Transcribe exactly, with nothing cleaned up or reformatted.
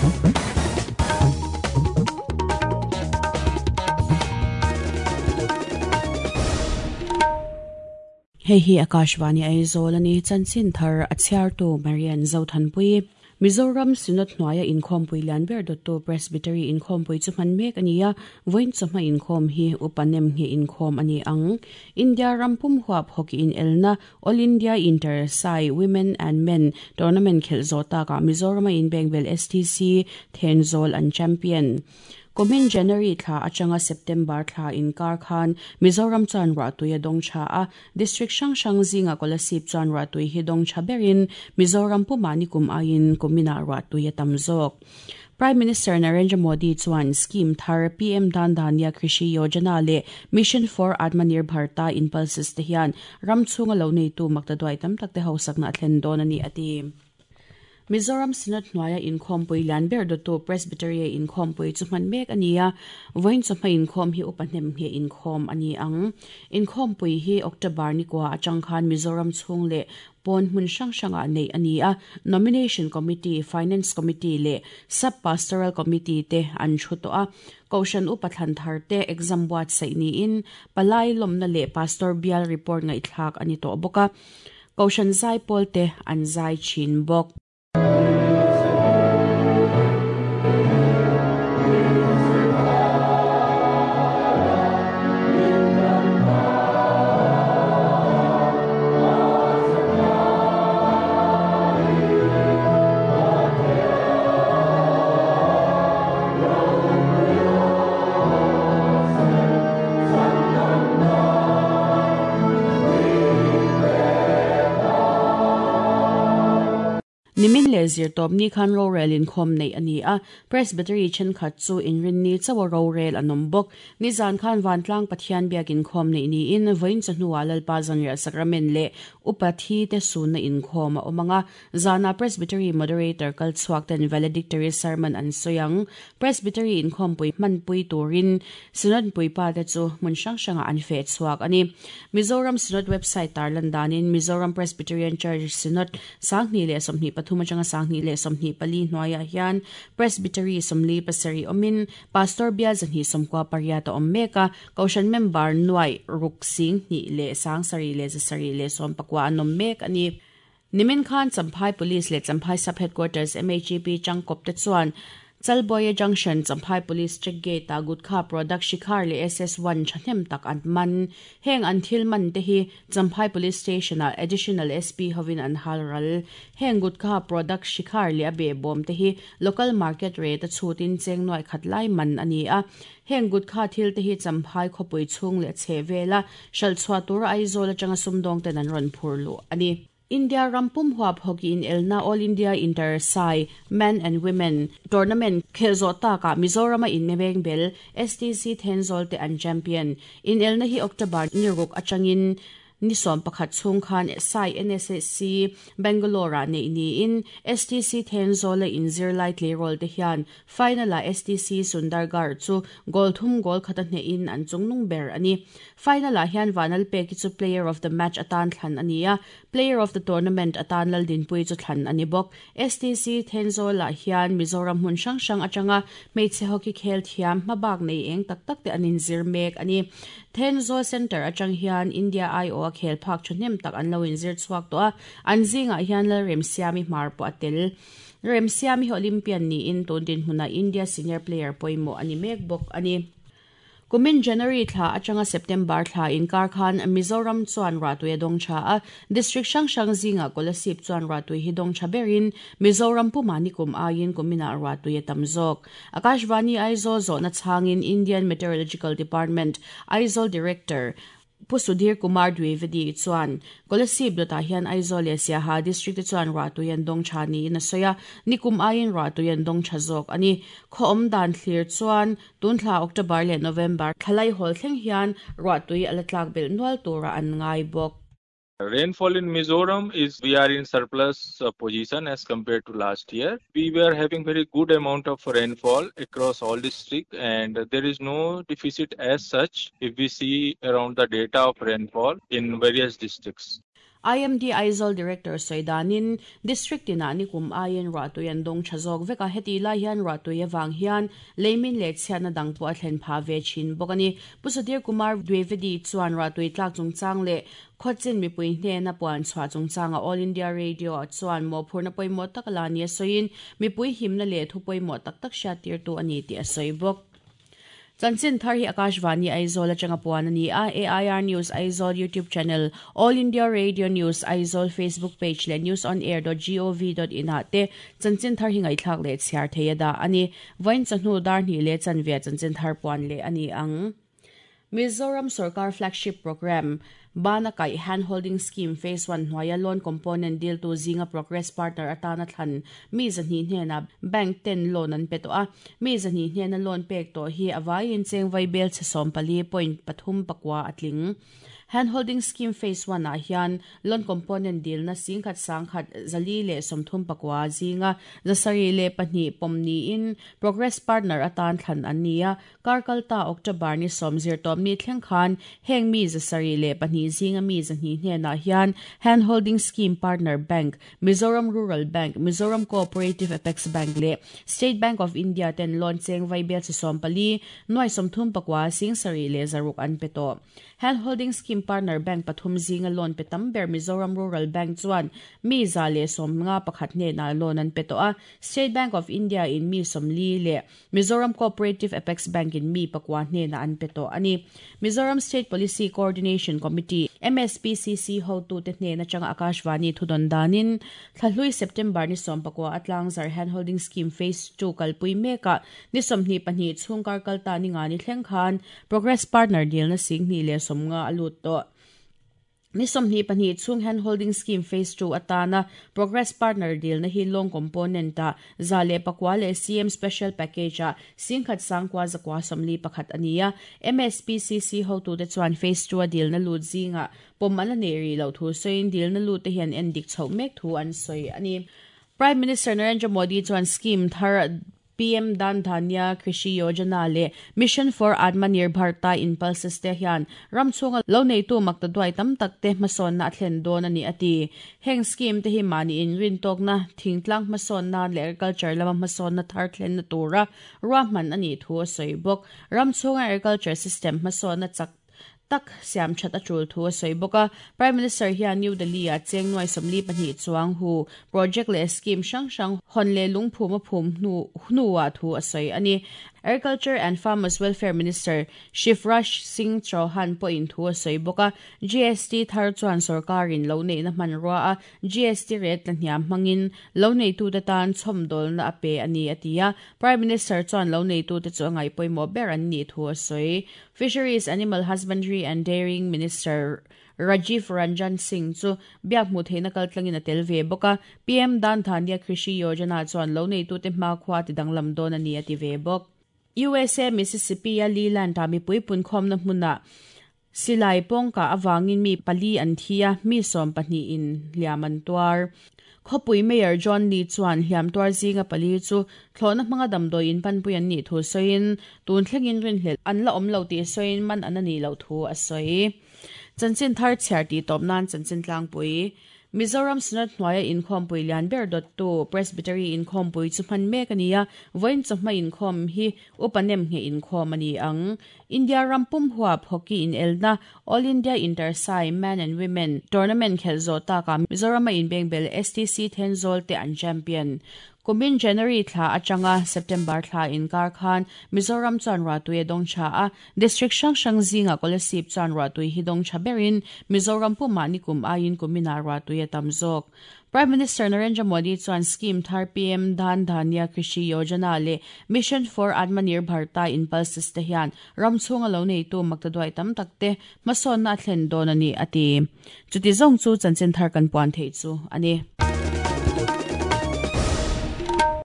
Hei hi Akashvani Aizawl ani chanchin thar a chhiartu Marian Zothanpui Mizoram Synod hnuaia inkhawmpui lian ber dawttu Presbytery inkhawmpui chu hman mek ani a vawiin chawhma inkhawm hi upanem nge inkhawm ani ang India rampum huap hockey in elna All India Inter Sai Women and Men Tournament khel zawh takah Mizoram a inbengbel S T C Thenzawl an champion Kumin January thla atanga September thla inkar khan Mizoram chuan ruahtui a dawng tha a district hrang hrang zinga Kolasib chuan ruahtui hi dawng tha berin Mizoram puma nikum aiin kumina ruahtui a tam zawk. Prime Minister Narendra Modi chuan scheme thar P M Dhan Dhanya Krishi Yojana le Mission for Atmanirbharta Impulses te hian ram chhunga lo nei tu makta duai tam tak te ho sakna thlen dawn ani ati. Mizoram Synod hnuaia inkhawmpui lian ber dawttu Presbytery inkhawmpui chu hman mek ani a vawiin chawhma inkhawm hi upa hnem nge inkhawm ani ang inkhawmpui hi October ni kwa atang khan Mizoram chhung leh pawn hmun hrang hrangah nei ani a nomination committee finance committee leh sub pastoral committee te an thu tawh a kohhran upa thlan thar te exam buat saih niin palai lawmna leh pastor bial report ngaihthlak ani tawh bawk a kohhran zai pawl te an zai thin bawk. Nimin le zir tawp ni khan rorel inkhawm nei ani a Presbytery thenkhat chu inrin ni chawa rorel an awm bawk ni zan khan vantlang Pathian biak inkhawm nei niin vawiin chawhnuah Lalpa zanriah sacrament leh upa thi te sunna inkhawm a awm anga zana Presbytery moderator kal chhuak ten valedictory sermon an sawiang Presbytery inkhawmpui hmanpui turin Synod puipa te chu hmun hrang hrangah an feh chhuak ani Mizoram Synod website tarlan danin Mizoram Presbyterian Church Synod sanghnih leh sawmhnih pathum atanga sanghnih leh sawmhnih pali hnuaiah hian Presbytery sawmli pasarih awmin pastor bial zahnih sawmkua pariat a awm mek a kohhran member nuai ruk sing hnih leh sang sarih leh zasarih leh sawm pakua an awm mek ani. Nimin khan Champhai Police leh Champhai Sub Headquarters M H E P changkawp te chuan Chalboya Junction Champhai Police check gate a Gutkha product Shikhar leh S S one thahnem tak an man heng an thil man te hi Champhai Police Station a additional S P hovin an halral heng Gutkha product Shikhar leh a be bawm te hi local market rate a chutin cheng nuai khat lai man ani a heng Gutkha thil te hi Champhai khawpui chhung leh che vela hral chhuah tur Aizawl atanga sumdawng ten an rawn phur lu ani. India rampum huap hockey in elna All India Inter Sai Men and Women Tournament khel zawh takah Mizoram a inmebeng bel S T C Thenzawl te an champion in elna hi October ni ruk atangin ni sawm pakhat chhung khan Sai N S S C Bangalore a nei niin S T C Thenzawl a inzir lai tleirawl te hian final a S T C Sundargarh chu goal thum goal khat a hnehin an chungnung ber ani final ah hian Vanal Peki chu player of the match atan thlan ani a player of the tournament atan Laldinpui chu thlan ani bawk S T C Thenzawl ah hian Mizoram hmun hrang hrang atanga hmeichhe hockey khel thiam hmabak nei eng tak tak te an inzir mek ani Thenzawl Center atang hian India I O a khel phak thahnem tak an lo inzir chhuak tawh a an zingah hian Lalremsiami hmar pawh a tel Remsiami hi Olympian niin tun dinhmunah India senior player pawimawh ani mek bawk ani. Kumin January thla atanga September thla inkar khan Mizoram chuan ruahtui a dawng tha a district hrang hrang zinga Kolasib chuan ruahtui hi dawng tha berin Mizoram puma nikum aiin kumina ruahtui a tam zawk Akashvani Aizawl zawhna chhangin Indian Meteorological Department Aizawl Director Pu Sudhir Kumar Dwivedi chuan Kolasib dawtah hian Aizawl leh Siaha district te chuan ruahtui an dawng tha niin a sawi a nikum aiin ruahtui an dawng tha zawk ani khaw awm dan thlir chuan tun thla October leh November thlalai hawl thleng hian ruahtui a la tlak belh nual tura an ngai bawk. Rainfall in Mizoram is we are in surplus uh, position as compared to last year. We were having very good amount of rainfall across all district and there is no deficit as such if we see around the data of rainfall in various districts. I M D Aizawl Director Soidanin District ina nikum ayen ratui an dong chazok veka heti lai hian ratui awang hian leimin le chhiatna dang pawh a thlen pha ve thin bawk ani. Pu Sudhir Kumar Dwivedi chuan ratui tlak chungchang leh khawchin mipui hnena puan chhuah chungchanga All India Radio chuan mawhphurna pawimawh tak la ni a sawiin mipui himna leh thu pawimawh tak tak hriat tir tu ani tih a sawi bawk. Chanchin thar hi Akashvani Aizawl atanga puan ani a. A I R News Aizawl YouTube channel, All India Radio News Aizawl Facebook page le news on air dot gov dot in ah te chanchin thar hi ngaithlak le chhiar theia da ani. Vain chahnu dar hnih le chanve chanchin thar puan le ani ang. Mizoram Sarkar flagship program Bana Kai Hand Holding Scheme Phase one hnuaia loan component deal tu zinga progress partner atana thlan mi zahnih hnena bank ten loan an pe to a. Mi zahnih hnena loan pek to hi awaiin cheng vai bel che sawm pali point pathum pakwa atling. Hand Holding Scheme Phase one ah hian loan component deal na singkhat sangkhat zali le sawmthum pakwa zinga zasari le pahnih pawmni in progress partner atan thlan an nia. Karkalta October ni sawmzir tawm ni thleng khan heng mi zasari le pahnih zinga mi zahnih hnena hian Hand Holding Scheme Partner Bank, Mizoram Rural Bank, Mizoram Cooperative Apex Bank le State Bank of India ten loan cheng vai bel che sawm pali nuai sawmthum pakwa singsari le zaruk an pe to. Hand Holding Scheme Partner Bank pathum zinga loan pe tam ber Mizoram Rural Bank chuan mi za le sawm nga pakhat hnena loan an pe to a. State Bank of India in mi sawmli le Mizoram Cooperative Apex Bank in mi pakwa hnena an pe to ani. Mizoram State Policy Coordination Committee M S P C C ho tu te hnena changa Akashvani thudon danin thlahlui September ni sawm pakwa atlang zar Hand Holding Scheme Phase two kalpui meka ni sawmhnih pahnih chhungkar kalta ni nga ni thleng khan progress partner deal na singhnih le sawmnga alut to. Ni sawmhnih pahnih chhung Hand Holding Scheme Phase two atana progress partner deal na hi long component a za le pakwa le C M special package a singkhat sangkwa zakwa sawmli pakhat ania. M S P C C ho tu te chuan Phase two a deal na lut zinga pawm an la nei ri lo thu sawiin deal na lut te hian en dik chho mek thu an sawi ani. Prime Minister Narendra Modi chuan scheme thar P M Dan Dhanya Krishi Yojana le Mission for Atmanirbharta Impulses te hian ramchunga lo nei tu makta duai tam tak te hmasawn na thlen dawn ani ati. Heng scheme te hi mani in rin tok na thingtlang hmasawn na le agriculture lama hmasawn na thar thlen na tura ruahman ani thu a sawi bawk. Ramchunga agriculture system hmasawn na chak tak siam that a tul thu a sawi bawk a. Prime Minister hian New Delhi a cheng nuai sawmli pahnih chuang hu project le scheme hrang hrang hawn le lungphum a phum hnu hnuah thu a sawi ani. Agriculture and Farmers Welfare Minister Shivraj Singh Chauhan pawhin thu a sawi bawk a. G S T thar chuan sarkarin lo neihna hmanrua a G S T rate la hniam hmangin lo neitu te tan chhawmdawlna a pe ani a ti a. Prime Minister chuan lo neitu te chu a ngaih pawimawh ber an nih thu a sawi. Fisheries, Animal Husbandry and Dairying Minister Rajiv Ranjan Singh chu biak hmu theihna kaltlangin a tel ve bawk a. P M Dan Dhanya Krishi Yojana chuan lo neitu te hmakhua ti danglam dawn ani a ti ve bawk. U S A Mississippi a Leland ta mipui punkhawm na hmuna silai pawngka awangin mi pali an thia mi sawm pahnih in hliam an tuar. Khawpui Mayor John Lee chuan hliam tuar zinga pali chu thlawhna hmanga damdawi in panpui an nih thu sawiin tun thlengin rinhlelh an la awm lo tih sawiin man an ani lo thu a sawi. Chanchin thar chhiar tih tawp nan chanchin tlangpui. Mizoram Synod hnuaia inkhawmpui lian ber dawt tu Presbytery inkhawmpui chu hman mek ani a. Vawiin chawhma inkhawm hi upanem nge inkhawm ani ang. India rampum huap hockey in elna All India Intersai Men and Women Tournament khel zawh taka Mizoram a inbengbel S T C Thenzawl te an champion. Kumin January thla atanga September thla inkar khan Mizoram chuan ratui a dawng tha a. District hrang hrang zinga Kolasib chuan ratui hi dawng tha berin Mizoram pumah nikum aiin kumina ratui a tam zawk. Prime Minister Narendra Modi chuan scheme thar P M Dan Dhanya Krishi Yojana le Mission for Atmanirbharta Impulses te hian ramchhunga lo neitu makta duai tam tak te hmasawn na thlen dawn ani ati. Chuti zawng chu chanchin thar kan puan thei chu ani.